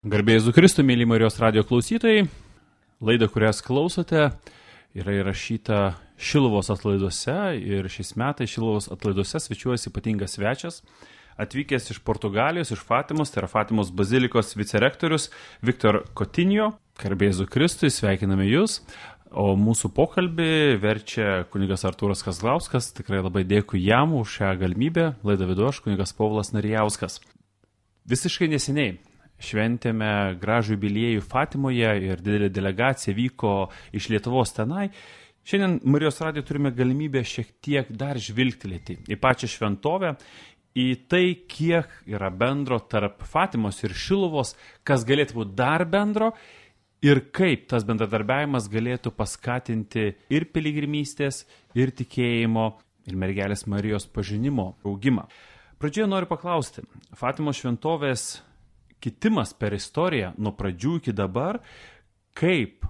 Garbė Jėzui Kristui, mėly Marijos radijo klausytojai, laida, kurias klausote, yra įrašyta Šiluvos atlaiduose ir šiais metais Šiluvos atlaiduose svečiuojasi ypatingas svečias, atvykęs iš Portugalijos, iš Fatimos, tai yra Fatimos bazilikos vicerektorius Viktor Coutinho. Garbė Jėzui Kristui, sveikiname Jūs, o mūsų pokalbį verčia kunigas Artūras Kazlauskas, tikrai labai dėkui jam už šią galimybę, laidą vedu aš, kunigas Povilas Narijauskas. Visiškai neseniai šventėme gražų jubiliejų Fatimoje ir didelė delegacija vyko iš Lietuvos tenai. Šiandien Marijos radijo turime galimybę šiek tiek dar žvilgtelėti į pačią šventovę, į tai, kiek yra bendro tarp Fatimos ir Šiluvos, kas galėtų būti dar bendro ir kaip tas bendradarbiavimas galėtų paskatinti ir piligrimystės, ir tikėjimo, ir mergelės Marijos pažinimo augimą. Pradžioje noriu paklausti, Fatimos šventovės kitimas per istoriją nuo pradžių iki dabar, kaip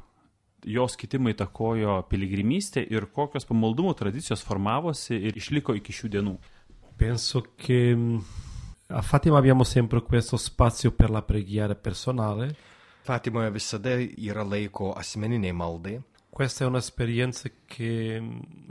jos kitimai įtakojo piligrimystę ir kokios pamaldumo tradicijos formavosi ir išliko iki šių dienų. Penso che a Fatima abbiamo sempre questo spazio per la preghiera personale. Fatimoje visada yra laiko asmeniniai maldai. Questa è un'esperienza che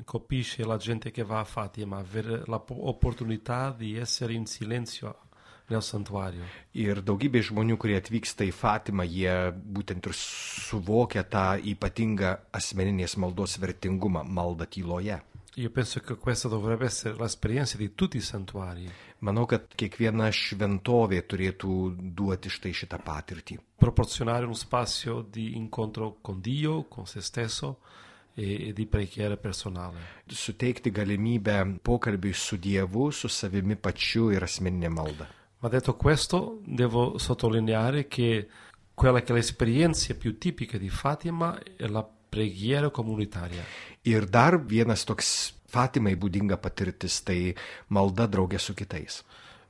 colpisce la gente che va a Fatima, avere l'opportunità di essere in silenzio nel santuario. Ir daugybė žmonių, kurie atvyksta į Fatimą, jie būtent ir suvokia tą ypatingą asmeninės maldos vertingumą, maldą tyloje. Io penso che questa dovrebbe essere l'esperienza di tutti i santuari. Manau, kad kiekviena šventovė turėtų duoti štai šitą patirtį. Proporzionare uno spazio di incontro con Dio, con se stesso e di preghiera personale. Suteikti galimybę pokalbiui su Dievu, su savimi pačiu ir asmeninė malda. Ma detto questo, devo sottolineare che quella che è l'esperienza più tipica di Fatima è la preghiera comunitaria. Ir dar vienas toks Fatimai būdinga patirtis, tai malda draugė su kitais.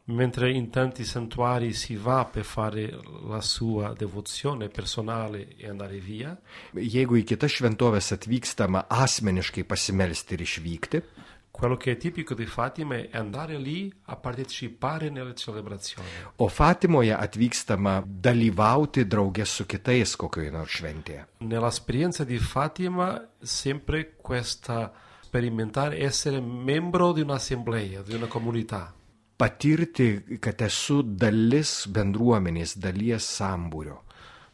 Mentre in tanti santuari si va per fare la sua devozione personale e andare via, jeigu į kitas šventovės atvykstama asmeniškai pasimelsti ir išvykti, quello che è tipico di Fatima è andare lì a partecipare nelle celebrazioni. O Fatimoje atvykstama dalyvauti draugė su kitais kokioje nors šventėje. Nell'esperienza di Fatima sempre questa sperimentare essere membro di un'assemblea, di una comunità. Patirti, kad esu dalis bendruomenės, dalies sambūrio.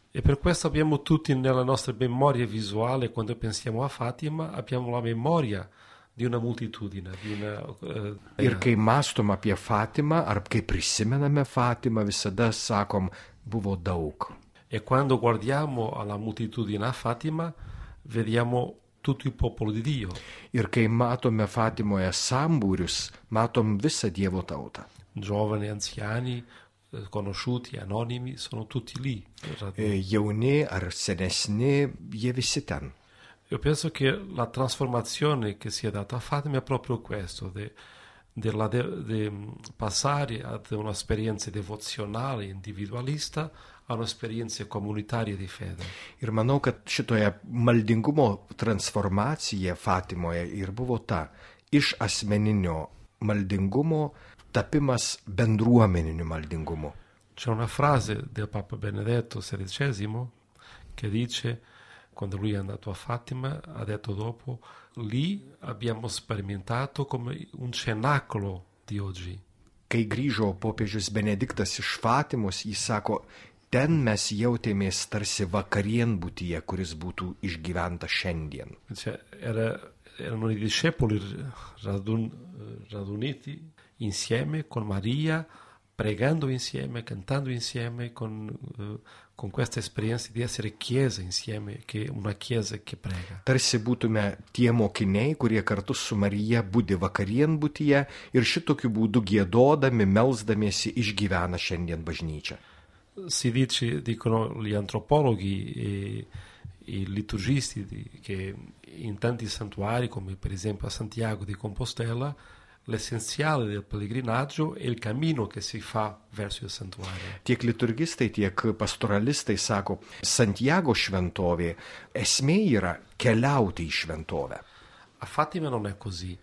E per questo abbiamo tutti nella nostra memoria visuale, quando pensiamo a Fatima, abbiamo la memoria di una moltitudine, di una... Ir kai mąstom apie Fatimą, ar kai prisimename Fatimą, visada sakom, buvo daug. E quando guardiamo alla moltitudine a Fatima, vediamo tutto il popolo di Dio. Ir kai matome Fatimoje sambūrius, matom visą Dievo tautą. Giovani, anziani, conosciuti, anonimi, sono tutti lì. Jauni ar senesni, jie visi ten. Io penso che la trasformazione che si è data a Fatima è proprio questo, di passare ad un'esperienza devozionale, individualista, a un'esperienza comunitaria di fede. Ir manau, kad šitoje maldingumo transformacija Fatimoje ir buvo ta, iš asmeninio maldingumo tapimas bendruomeniniu maldingumu. C'è una frase del Papa Benedetto XVI che dice, quando lui è andato a Fatima, ha detto dopo, lì abbiamo sperimentato come un cenacolo di oggi. Kai grįžo popiežius Benediktas iš Fatimos, jis sako, ten mes jautėmės tarsi vakarienbutyje, kuris būtų išgyventa šiandien. Erano i discepoli raduniti insieme con Maria, pregando insieme, cantando insieme, con questa esperienza di essere chiesa insieme, che una chiesa che prega. Tarsi būtume tie mokiniai, kurie kartu su Marija budi vakarienbutyje ir šitokiu būdu giedodami, melsdamiesi išgyvena šiandien bažnyčia. Dicono gli antropologhi e i liturgisti che in tanti santuari, come per esempio a Santiago di Compostela, l'essenziale del pellegrinaggio è il cammino che si fa verso il santuario. Tiek liturgistai, tiek pastoralistai sako, Santiago šventovė esmė yra keliauti į šventovę. A Fatima non è così.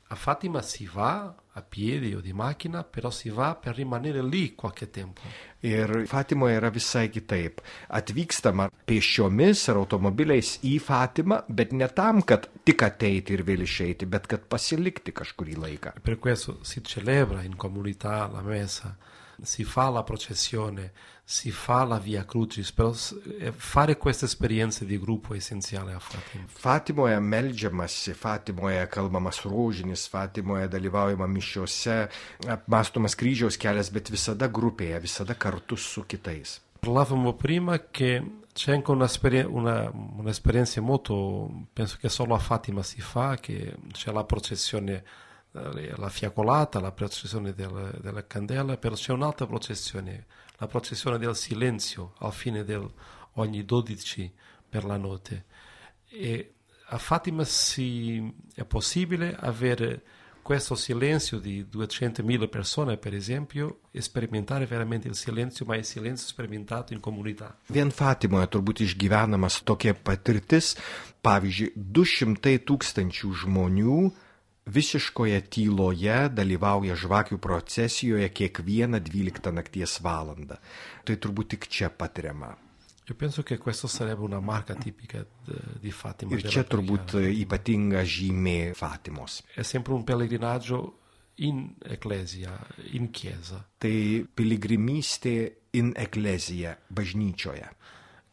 A Fatima si va a piedi o di macchina, però si va per rimanere lì qualche tempo. Ir Fatimoje yra visai kitaip. Atvykstama pėsčiomis ar automobiliais į Fatimą, bet ne tam, kad tik ateiti ir vėl išeiti, bet kad pasilikti kažkurį laiką. Per questo si celebra in comunità la messa, si fa la processione, si fa la via crucis, però fare queste esperienze di gruppo è essenziale a Fatima. Fatimoje meldžiamasi, Fatimoje kalbamas rožinis, Fatimoje dalyvaujama mišiuose, apmąstomas kryžiaus kelias, bet visada grupėje, visada kartu su kitais. Parlavamo prima che c'è anche un'esperienza molto, penso che solo a Fatima si fa, che c'è la processione, la fiaccolata, la processione della candela, però c'è un'altra processione, la processione del silenzio al fine ogni 12 per la notte. E a Fatima è possibile avere questo silenzio di 200.000 persone, per esempio, e sperimentare veramente il silenzio, ma il silenzio sperimentato in comunità. Vien Fatimoje turbūt išgyvenamas tokia patirtis, pavyzdžiui, 200,000 žmonių visiškoje tyloje dalyvauja žvakių procesijoje kiekvieną 12 nakties valandą. Tai turbūt tik čia patiriama. Io penso che questo sarebbe una marca tipica di Fatima. Ir čia turbūt ypatinga žymė Fatimos. È sempre un pellegrinaggio in ecclesia, in chiesa. Tai piligrimystė in ecclesia, bažnyčioje.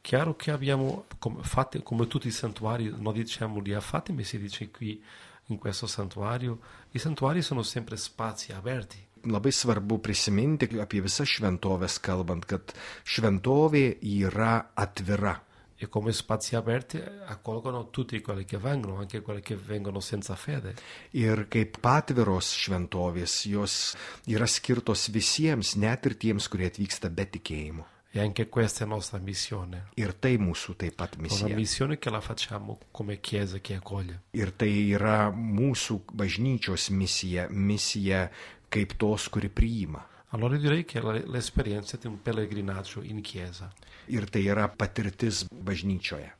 Chiaro che abbiamo, come tutti i santuari, non diciamo lì a Fatima, si dice qui in questo santuario, i santuari sono sempre spazi aperti. Labai svarbu prisiminti apie visas šventovės kalbant, kad šventovė yra atvira. E come spazi aperti accolgono tutti quelli che vengono, anche quelli che vengono senza fede. Ir kaip patviros šventovės, jos yra skirtos visiems, net ir tiems, kurie atvyksta be tikėjimo. E anche questa è la nostra missione. Ir tai mūsų taip pat misija. Una missione che la facciamo come chiesa che accoglie. Ir tai yra mūsų bažnyčios misija, misija kaip tos, kuri priima. Allora direi che l'esperienza di un pellegrinaggio in chiesa. Ir tai yra patirtis bažnyčioje.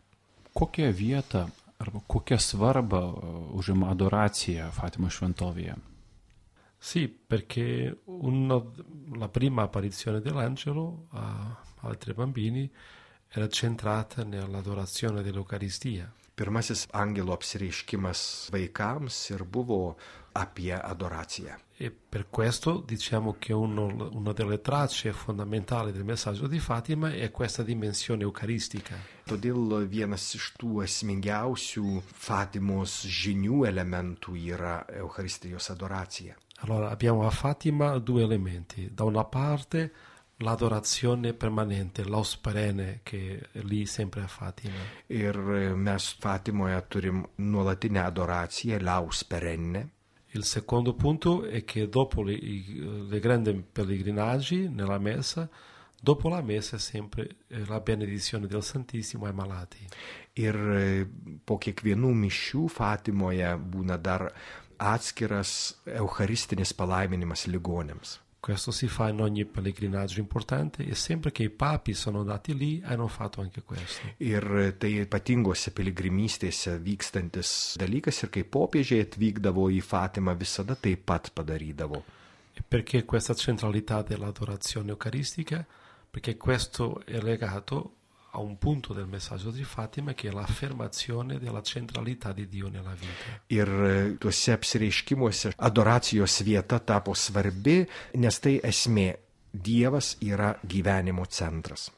Kokią vietą arba kokią svarbą užima adoracija Fatimos šventovėje? Sì, perché la prima apparizione dell'angelo ai 3 bambini era centrata nell'adorazione dell'Eucaristia. Pirmasis angelo apsireiškimas vaikams ir buvo apie adoraciją. E per questo diciamo che una delle tracce fondamentali del messaggio di Fatima è questa dimensione eucaristica. Todėl vienas iš tų esmingiausių Fatimos žinių elementų yra Eucharistijos adoracija. Allora abbiamo a Fatima 2 elementi. Da una parte l'adorazione permanente, l'os perenne che è lì sempre a Fatima. Ir mes Fatimoje turim nuolatinę adoraciją, laus perenne. Il secondo punto è che dopo le grandi pellegrinaggi nella messa, dopo la messa è sempre la benedizione del Santissimo ai malati. Ir po kiekvienų mišių Fatimoje būna dar atskiras eucharistinis palaiminimas ligonėms. Questo si fa in ogni pellegrinaggio importante e sempre che i papi sono andati lì hanno fatto anche questo. Ir tai ypatingose piligrimystėse vykstantis dalykas ir kai popiežiai atvykdavo į Fatimą visada taip pat padarydavo. E perché questa centralità dell'adorazione eucaristica? Perché questo è legato a un punto del messaggio di Fatima che è l'affermazione della centralità di Dio nella vita. Ir tuose apsireiškimuose adoracijos vieta tapo svarbi, nes tai esmė. Dievas yra gyvenimo centras.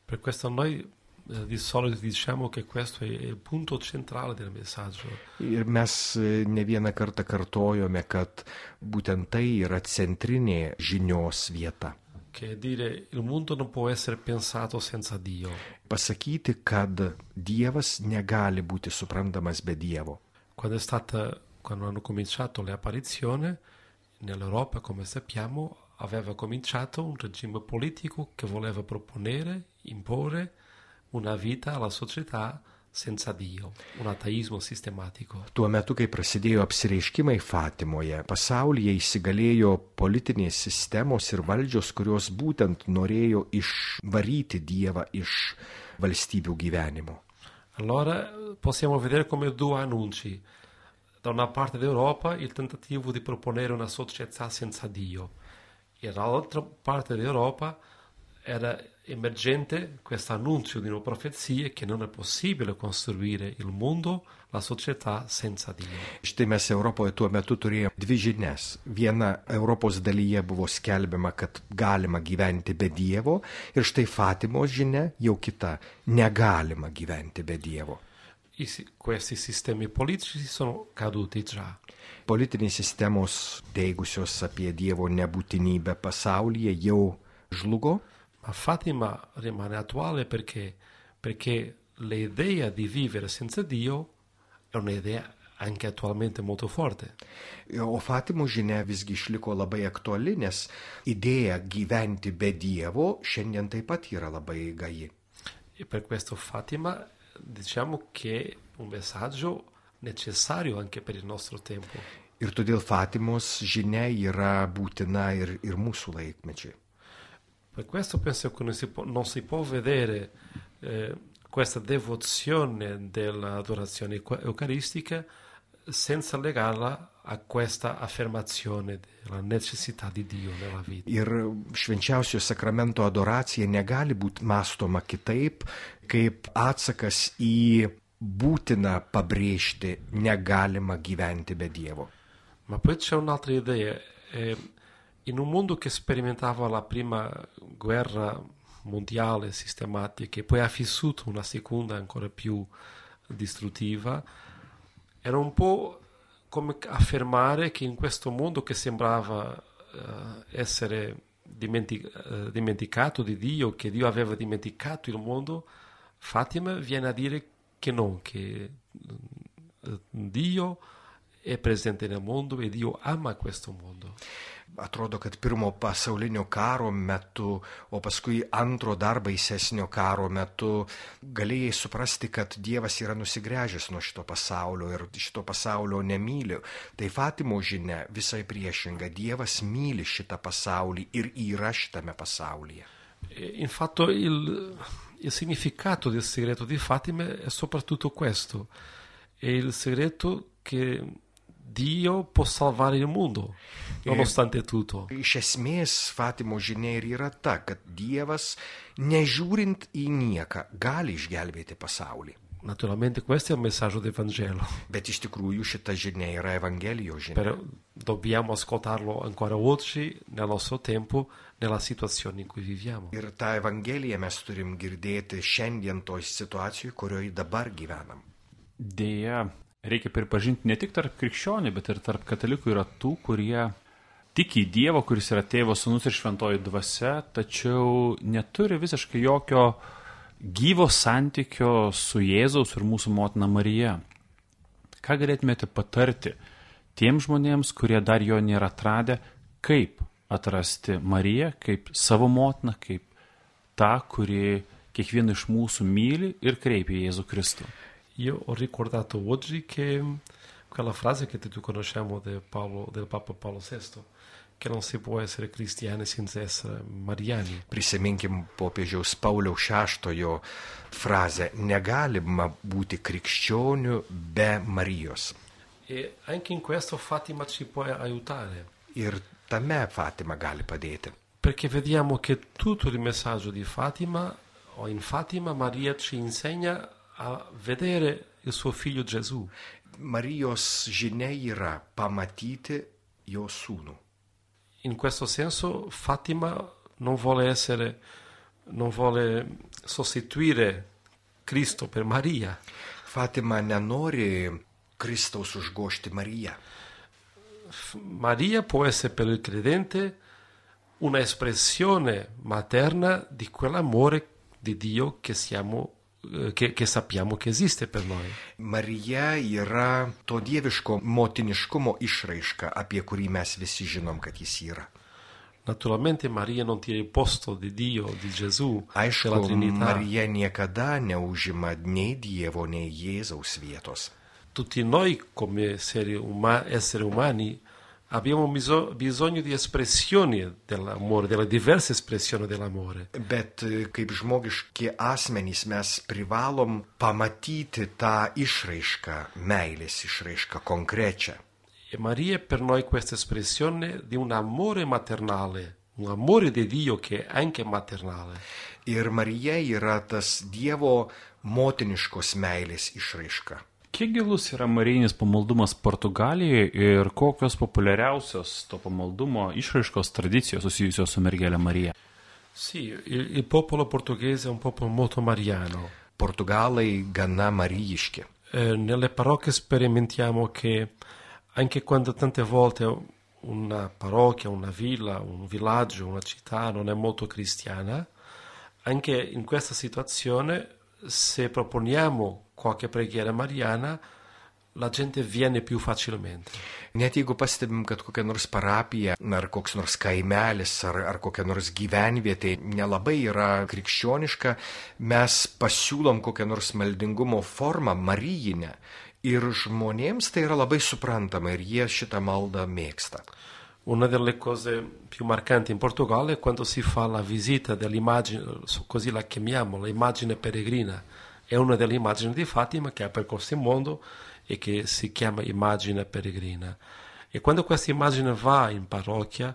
Per questo noi di solito diciamo che questo è il punto centrale del messaggio. Ir mes ne vieną kartą kartojome, kad būtent tai yra centrinė žinios vieta. Che dire il mondo non può essere pensato senza Dio. Pasakyti, kad Dievas negali būti suprantamas be Dievo. Quando hanno cominciato le apparizioni nell'Europa, come sappiamo, aveva cominciato un regime politico che voleva imporre una vita alla società senza Dio, un ateismo sistematico. Tuo metu, kai prasidėjo apsireiškimai Fatimoje, pasaulyje įsigalėjo politinės sistemos ir valdžios, kurios būtent norėjo išvaryti Dievą iš valstybių gyvenimo. Allora possiamo vedere come 2 annunci. da una parte d'Europa il tentativo di proponere una società senza Dio e dall'altra parte d'Europa era emergente questo annuncio di una profezia che non è possibile costruire il mondo, la società senza Dio. Štai mes Europoje tuo metu turėjome dvi žinias. Viena Europos dalyje buvo skelbiama, kad galima gyventi be Dievo, ir štai Fatimos žinia jau kita - negalima gyventi be Dievo. Questi sistemi politici sono caduti già. Politinės sistemos teigusios apie Dievo nebūtinybę pasaulyje jau žlugo. Ma Fatima rimane attuale perché l'idea di vivere senza Dio è un'idea anche attualmente molto forte. O Fatimos žinia visgi išliko labai aktuali, nes idėja gyventi be Dievo šiandien taip pat yra labai gaji. E per questo Fatima diciamo che è un messaggio necessario anche per il nostro tempo. Ir todėl Fatimos žinia yra būtina ir mūsų laikmečiai. Per questo penso che non si può vedere questa devozione dell'adorazione eucaristica senza legarla a questa affermazione della necessità di Dio nella vita. Ir švenčiausio sakramento adoracija negali būti mąstoma kitaip, kaip atsakas į būtiną pabrėžti negalima gyventi be Dievo. Ma poi c'è un'altra idea. In un mondo che sperimentava la prima guerra mondiale sistematica e poi ha vissuto una seconda ancora più distruttiva, era un po' come affermare che in questo mondo che sembrava essere dimenticato di Dio, che Dio aveva dimenticato il mondo, Fatima viene a dire che no, che Dio è presente nel mondo e Dio ama questo mondo. Atrodo, kad pirmo pasaulinio karo metu, o paskui antro dar baisesnio karo metu galėjai suprasti, kad Dievas yra nusigręžęs nuo šito pasaulio ir šito pasaulio nemyli. Tai Fatimo žinia visai priešinga. Dievas myli šitą pasaulį ir yra šitame pasaulyje. Infatti il significato del segreto di Fatima è soprattutto questo. È il segreto che Dio può salvare il mondo, nonostante tutto. Iš esmės, Fatimo žinia ir yra ta, kad Dievas, nežiūrint į nieką, gali išgelbėti pasaulį. Naturalmente questo è il messaggio del Vangelo. Bet iš tikrųjų šita žinia yra Evangelijos žinia. Però dobbiamo ascoltarlo ancora oggi, nel nostro tempo, nella situazione in cui viviamo. Ir tą Evangeliją mes turim girdėti šiandien toj situacijoje, kurioje dabar gyvenam. Deja, reikia pripažinti ne tik tarp krikščionių, bet ir tarp katalikų yra tų, kurie tiki į Dievą, kuris yra Tėvas, Sūnus ir Šventoji Dvasia, tačiau neturi visiškai jokio gyvo santykio su Jėzaus ir mūsų motina Marija. Ką galėtumėte patarti tiems žmonėms, kurie dar jo nėra atradę, kaip atrasti Mariją, kaip savo motiną, kaip tą, kuri kiekvieną iš mūsų myli ir kreipia Jėzų Kristų? Io ho ricordato oggi che quella frase che tutti conosciamo del Papa Paolo VI, che non si può essere cristiani senza essere mariani. Prisiminkim popiežiaus Pauliaus VI frazę: negalima būti krikščioniu be Marijos. E anche in questo Fatima ci può aiutare. Ir tame Fatima gali padėti. Perché vediamo che tutto il messaggio di Fatima, o in Fatima, Maria ci insegna a vedere il suo figlio Gesù. Marijos žinia yra pamatyti jo sūnų. In questo senso Fatima non vuole sostituire Cristo per Maria. Fatima nenori Kristaus užgožti Mariją. Maria può essere per il credente una espressione materna di quell'amore di Dio che sappiamo che esiste per noi. Marija yra to dieviško motiniškumo išraiška, apie kurį mes visi žinom, kad jis yra. Naturalmente Maria non tira il posto di Dio, di Gesù, Aišku, della Trinità. Marija niekada neužima nei Dievo, nei Jėzaus vietos. Tutti noi come esseri umani abbiamo bisogno di espressioni dell'amore, delle diverse espressioni dell'amore. Bet kaip žmogiški asmenys mes privalom pamatyti tą išraišką, meilės išraišką konkrečią. E Maria è per noi questa espressione di un amore maternale, un amore di Dio che è anche maternale. Ir Marija yra tas Dievo motiniškos meilės išraiška. Kiek gilus yra marijinis pamaldumas Portugalijoje ir kokios populiariausios to pamaldumo išraiškos tradicijos susijusios su mergelė Marija? Sì, il popolo portoghese è un popolo molto mariano. Portugalai gana marijiški. Nelle parrocchie sperimentiamo che anche quando tante volte una parrocchia, una villa, un villaggio, una città non è molto cristiana, anche in questa situazione, se proponiamo qualche preghiera mariana, la gente viene più facilmente. Net jeigu pastebim, kad kokia nors parapija, ar koks nors kaimelis, ar kokia nors gyvenvietė nelabai yra krikščioniška, mes pasiūlom kokią nors maldingumo formą marijinę ir žmonėms tai yra labai suprantama ir jie šitą maldą mėgsta. Una delle cose più marcanti in Portogallo è quando si fa la visita dell'immagine, così la chiamiamo, l'immagine peregrina. È una delle immagini di Fatima che ha percorso il mondo e che si chiama immagine peregrina. E quando questa immagine va in parrocchia,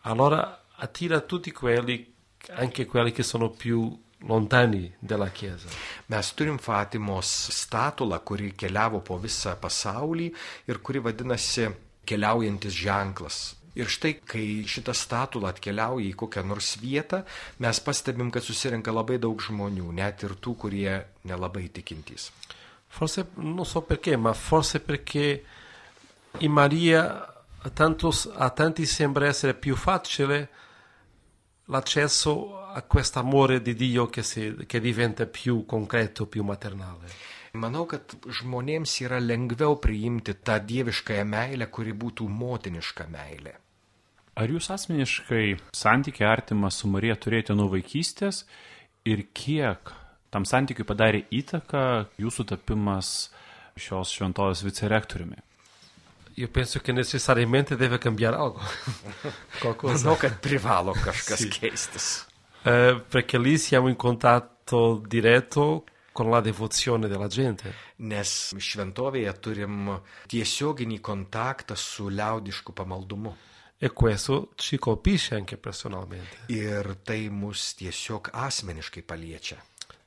allora attira tutti quelli, anche quelli che sono più lontani dalla Chiesa. Mes turim Fatimos statulą, kuri keliavo po visą pasaulį ir kuri vadinasi keliaujantis ženklas. Ir štai, kai šita statula atkeliauja į kokią nors vietą, mes pastebim, kad susirenka labai daug žmonių, net ir tų, kurie nelabai tikintys. Forse, non so perché, ma forse perché in Maria a tanti sembra essere più facile l'accesso a questo amore di Dio che diventa più concreto, più maternale. Manau, kad žmonėms yra lengviau priimti tą dieviškąją meilę, kuri būtų motiniška meilė. Ar jūs asmeniškai santykį artimą su Marija turėjote nuo vaikystės ir kiek tam santykiui padarė įtaką jūsų tapimas šios šventovės vicerektoriumi? Io penso che necessariamente deve cambiare algo. Manau, kad privalo kažkas keistis. Perché lì siamo in contatto diretto con la devozione della gente. Nes šventovėje turim tiesioginį kontaktą su liaudišku pamaldumu. E questo ci colpisce anche personalmente. Ir tai mus tiesiog asmeniškai paliečia.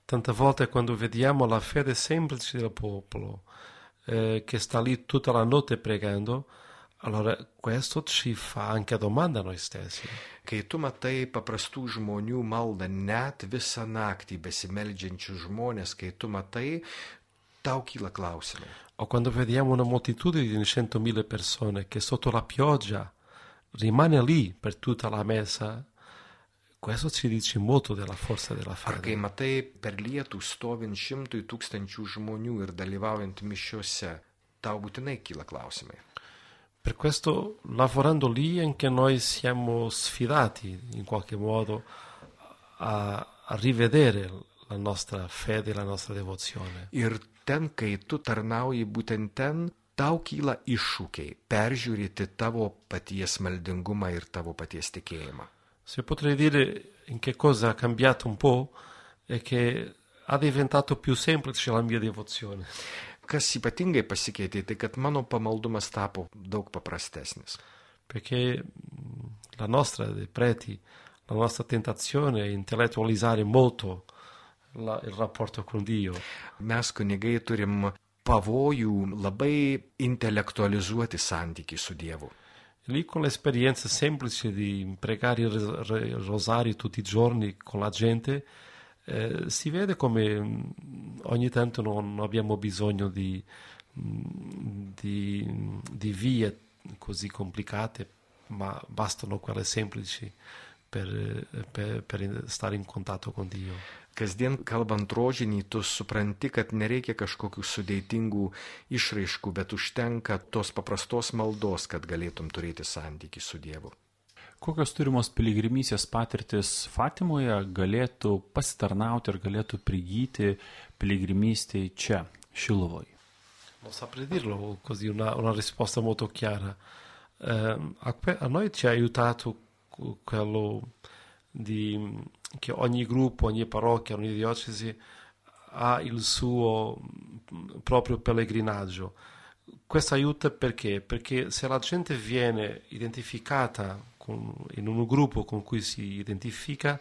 Tante volte quando vediamo la fede semplice del popolo che sta lì tutta la notte pregando, allora questo ci fa anche domanda a noi stessi. Kai tu matai paprastų žmonių maldą, net visą naktį besimeldžiančių žmonės, kai tu matai, tau kyla klausimai. O quando vediamo una moltitudine di 100.000 persone che sotto la pioggia rimane lì per tutta la messa, questo ci dice molto della forza della fede. Ar kai matai per lietų stovint 100,000 žmonių ir dalyvaujant mišiose, tau būtinai kyla klausimai. Per questo, lavorando lì, anche noi siamo sfidati in qualche modo a rivedere la nostra fede, la nostra devozione. Ir ten, kai tu tarnauji būtent ten, tau kyla iššūkiai peržiūrėti tavo paties maldingumą ir tavo paties tikėjimą. Se potrei dire in che cosa ha cambiato un po' è che ha diventato più semplice la mia devozione. Kas ypatingai pasikeitė, tai kad mano pamaldumas tapo daug paprastesnis. Perché la nostra, dei preti, la nostra tentazione è intellettualizzare molto il rapporto con Dio. Mes kunigai turim pavojų labai intelektualizuoti santykį su Dievu. Lì con l'esperienza semplice di pregare il rosario tutti i giorni con la gente, si vede come ogni tanto non abbiamo bisogno di vie così complicate, ma bastano quelle semplici per stare in contatto con Dio. Kasdien kalbant rožinį, tu supranti, kad nereikia kažkokių sudėtingų išraiškų, bet užtenka tos paprastos maldos, kad galėtum turėti santykį su Dievu. Kokios turimos piligrimystės patirtis Fatimoje galėtų pasitarnauti ir galėtų prigyti piligrimystėje čia, Šiluvoje? Non saprei dirlo così, una risposta molto chiara. A noi ci ha aiutato quello che ogni gruppo, ogni parrocchia, ogni diocesi ha il suo proprio pellegrinaggio. Questo aiuta perché? Perché se la gente viene identificata in un gruppo con cui si identifica,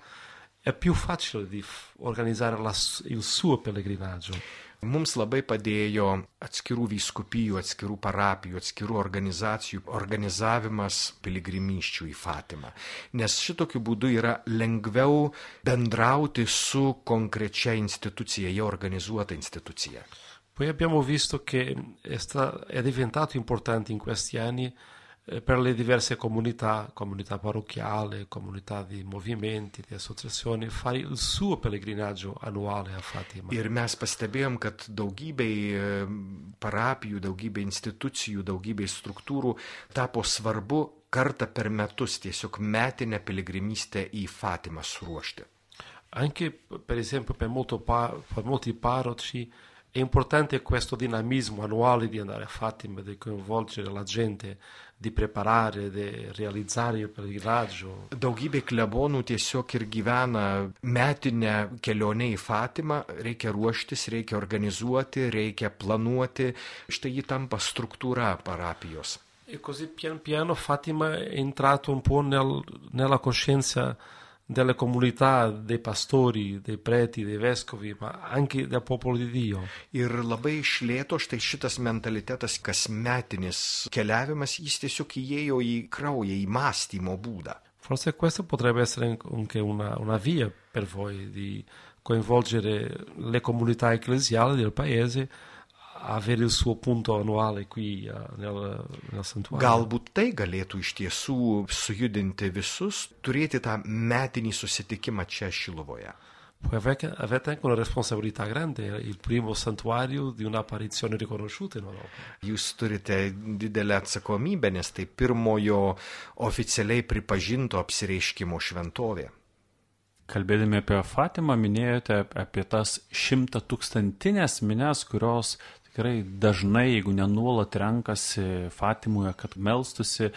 è più facile di organizzare il suo pellegrinaggio. Mums labai padėjo atskirų vyskupijų, atskirų parapijų, atskirų organizacijų organizavimas piligrimysčių į Fatimą. Nes šitokiu būdu yra lengviau bendrauti su konkrečia institucija, jau organizuota institucija. Poi abbiamo visto che è diventato importante in questi anni per le diverse comunità parrocchiali, comunità di movimenti, di associazioni, fare il suo pellegrinaggio annuale a Fatima. Ir mes pastebėjom, kad daugybei parapijų, daugybei institucijų, daugybei struktūrų tapo svarbu kartą per metus tiesiog metinę piligrimystę į Fatimą suruošti. Anche per esempio per molti parroci è importante questo dinamismo annuale di andare a Fatima, di coinvolgere la gente, di preparare, di realizzare il pellegrinaggio. Daugybė klebonų tiesiog ir gyvena metinę kelionę į Fatimą, reikia ruoštis, reikia organizuoti, reikia planuoti, štai ji tampa struktūra parapijos. E così pian piano Fatima è entrato un po' nella coscienza delle comunità, dei pastori, dei preti, dei vescovi, ma anche del popolo di Dio. Ir labai iš lėto štai šitas mentalitetas, kasmetinis keliavimas, jis tiesiog įėjo į kraują, į mąstymo būdą. Forse questo potrebbe essere anche una via per voi di coinvolgere le comunità ecclesiali del paese, avere il suo punto annuale qui nel santuario. Galbūt tai galėtų iš tiesų sujudinti visus, turėti tą metinį susitikimą čia Šiluvoje. Poi avete anche una responsabilità grande, il primo santuario di un'apparizione riconosciuta in Europa. Jūs turite didelę atsakomybę, nes tai pirmojo oficialiai pripažinto apsireiškimo šventovė. Kalbėdami apie Fatimą, minėjote apie tas 100-tūkstantinės minias, kurios tikrai dažnai, jeigu nenuolat renkasi Fatimoje, kad melstusi,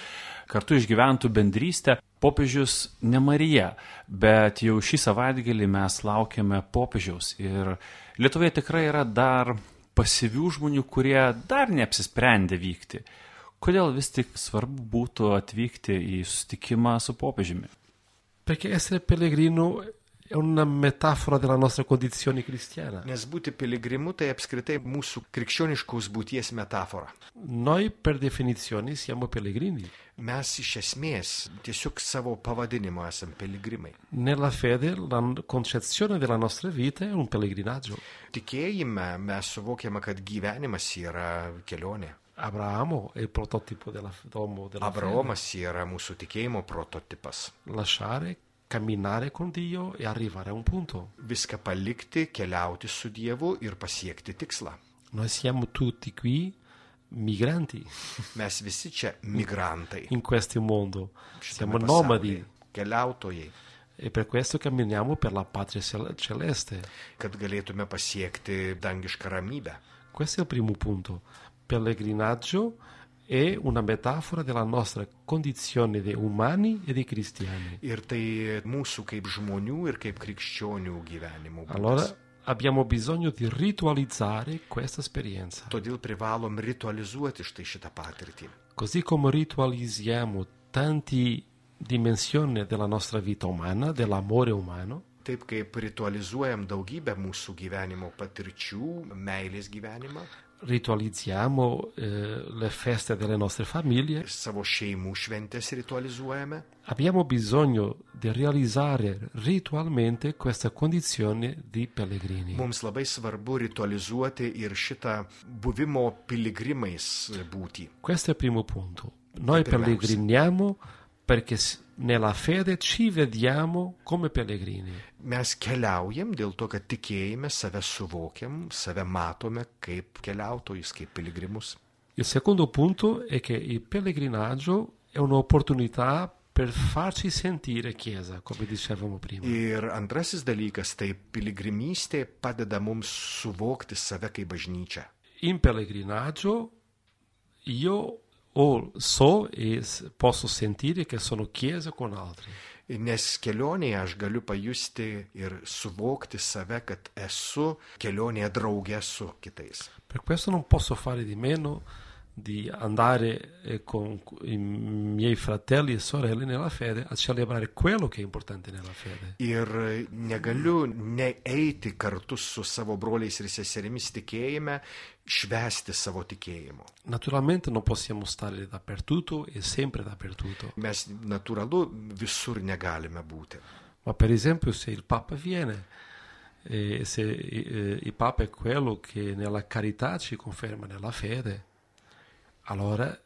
kartu išgyventų bendrystę. Popiežius ne Marija, bet jau šį savaitgalį mes laukiame popiežiaus. Ir Lietuvoje tikrai yra dar pasyvių žmonių, kurie dar neapsisprendė vykti. Kodėl vis tik svarbu būtų atvykti į susitikimą su popiežiumi? Perché essere pellegrino è una metafora della nostra condizione cristiana. Nes būti piligrimu tai apskritai mūsų krikščioniškos būties metafora. Noi per definizione siamo pellegrini. Mes iš esmės tiesiog savo pavadinimo esam piligrimai. Nella fede la concezione della nostra vita è un pellegrinaggio. Tikėjime mes suvokiame, kad gyvenimas yra kelionė. Abramo è il prototipo dell'uomo della Abraomas yra mūsų tikėjimo prototipas. Lasciare, camminare con Dio e arrivare a un punto. Viską palikti, keliauti su Dievu ir pasiekti tikslą. Noi siamo tutti qui migranti. Mes visi čia migrantai. In questo mondo. Siamo Šitame nomadi. pasaulyje, keliautojai. E per questo camminiamo per la patria celeste. Kad galėtume pasiekti dangišką ramybę. Questo è il primo punto. Pellegrinaggio è una metafora della nostra condizione di umani e di cristiani. Ir tai mūsų kaip žmonių ir kaip krikščionių gyvenimo būdas. Allora abbiamo bisogno di ritualizzare questa esperienza. Todėl privalom ritualizuoti štai šitą patirtį. Così come ritualizziamo tanti dimensioni della nostra vita umana, dell'amore umano, Taip kaip ritualizuojam daugybę mūsų gyvenimo patirčių, meilės gyvenimą, ritualizziamo le feste delle nostre famiglie, savo šeimų šventės ritualizuojame. abbiamo bisogno di realizzare ritualmente questa condizione di pellegrini. Mums labai svarbu ritualizuoti ir šitą buvimo piligrimais būtį. Questo è il primo punto. Noi Pirmiausia. pellegriniamo perché nella fede ci vediamo come pellegrini. Mes keliaujam dėl to, kad tikėjime save suvokiam, save matome kaip keliautojus, kaip piligrimus. Il secondo punto è che il pellegrinaggio è un'opportunità per farci sentire Chiesa, come dicevamo prima. Ir antrasis dalykas, tai piligrimystė padeda mums suvokti save kaip bažnyčią. In pellegrinaggio io so e posso sentire che sono chiesa con altri. Nes kelionėje aš galiu pajusti ir suvokti save, kad esu kelionėje draugė su kitais. Per questo non posso fare di meno di andare con i miei fratelli e sorelle nella fede a celebrare quello che è importante nella fede. Ir negaliu neeiti kartu su savo broliais ir seserimis tikėjime, švęsti savo tikėjimo. Naturalmente non possiamo stare dappertutto e sempre dappertutto. Mes natūralu visur negalime būti. Ma per esempio se il Papa viene, se il Papa è quello che nella carità ci conferma nella fede, allora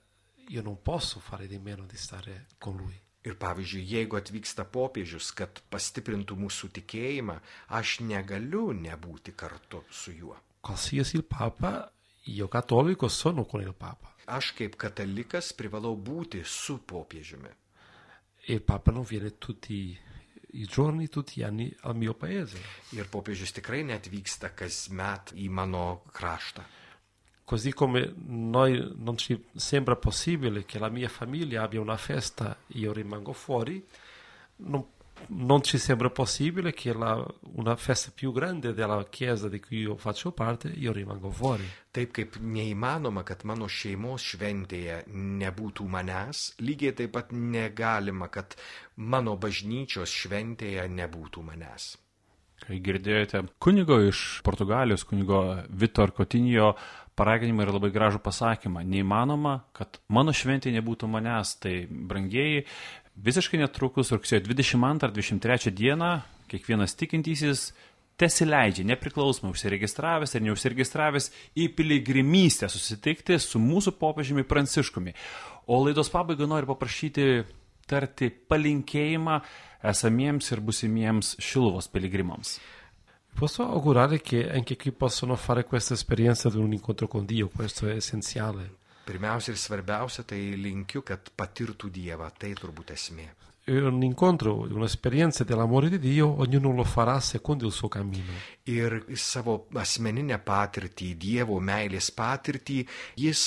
io non posso fare di meno di stare con lui. Ir pavyzdžiui, jeigu atvyksta popiežius, kad pastiprintų mūsų tikėjimą, aš negaliu nebūti kartu su juo. Qualsiasi il Papa, io cattolico sono con il Papa. Aš kaip katalikas privalau būti su popiežiumi. E il Papa non viene tutti i giorni, tutti gli anni al mio paese. Ir popiežius tikrai neatvyksta kasmet į mano kraštą. Così come noi non ci sembra possibile che la mia famiglia abbia una festa e io rimango fuori, non ci sembra possibile che una festa più grande della chiesa di cui io faccio parte, io rimango fuori. Taip kaip neįmanoma, kad mano šeimos šventėje nebūtų manęs, lygiai taip pat negalima, kad mano bažnyčios šventėje nebūtų manęs. Kai girdėjote kunigo iš Portugalijos, kunigo Vitor Coutinho paraginimą ir labai gražų pasakymą. Neįmanoma, kad mano šventė nebūtų manęs. Tai, brangieji, visiškai netrukus rugsėjo 22-23 dieną kiekvienas tikintysis tesileidžia, nepriklausomai užsiregistravęs ir neužsiregistravęs, į piligrimystę susitikti su mūsų popiežiumi Pranciškumi. O laidos pabaigai noriu paprašyti tarti palinkėjimą esamiems ir busimiems Šiluvos piligrimams. Posso augurare che anche qui possono fare questa esperienza di un incontro con Dio, questo è essenziale. Pirmiausia ir svarbiausia, tai linkiu, kad patirtų Dievą, tai turbūt esmė. Un incontro, un'esperienza dell'amore di Dio, ognuno lo farà secondo il suo cammino. Ir savo asmeninę patirtį, Dievo meilės patirtį, jis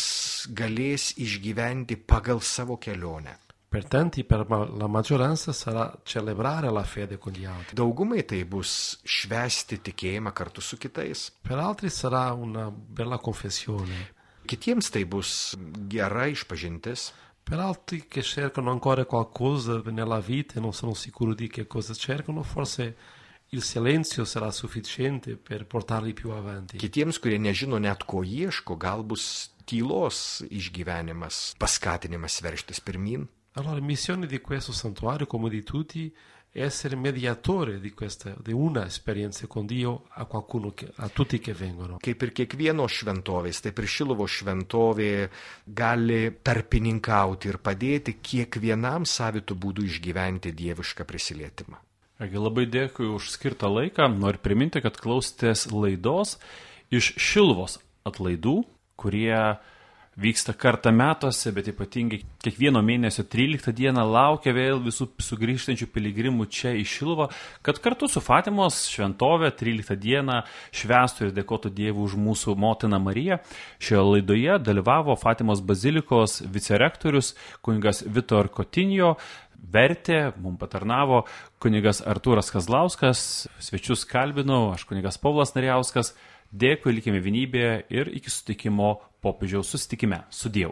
galės išgyventi pagal savo kelionę. Per tanti, per la maggioranza, sarà celebrare la fede con gli altri. Daugumai tai bus švęsti tikėjimą kartu su kitais. Per altri sarà una bella confessione. Kitiems tai bus gera išpažintis. Per altri che cercano ancora qualcosa nella vita e non sono sicuri di che cosa cercano, forse il silenzio sarà sufficiente per portarli più avanti. Kitiems, kurie nežino net ko ieško, gal bus tylos išgyvenimas, paskatinimas verštis pirmin. Allora, missione di questo santuario, come di tutti, è essere mediatore di una esperienza con Dio a tutti che vengono. Kaip ir kiekvienos šventovės, taip ir Šiluvos šventovė gali tarpininkauti ir padėti kiekvienam savitų būdų išgyventi dievišką prisilietimą. Labai dėkui už skirtą laiką. Noriu priminti, kad klausėtės laidos iš Šiluvos atlaidų, kurie vyksta kartą metuose, bet ypatingai kiekvieno mėnesio 13 dieną laukia vėl visų sugrįžtančių piligrimų čia į Šiluvą, kad kartu su Fatimos šventove 13 dieną švęstų ir dėkotų Dievui už mūsų motiną Mariją. Šioje laidoje dalyvavo Fatimos bazilikos vicerektorius kunigas Vitor Coutinho, vertė, mums patarnavo kunigas Artūras Kazlauskas, svečius kalbinau, aš kunigas Povlas Narijauskas. Dėkui, likime vienybėje ir iki susitikimo popiežiaus susitikime. Su Dievu.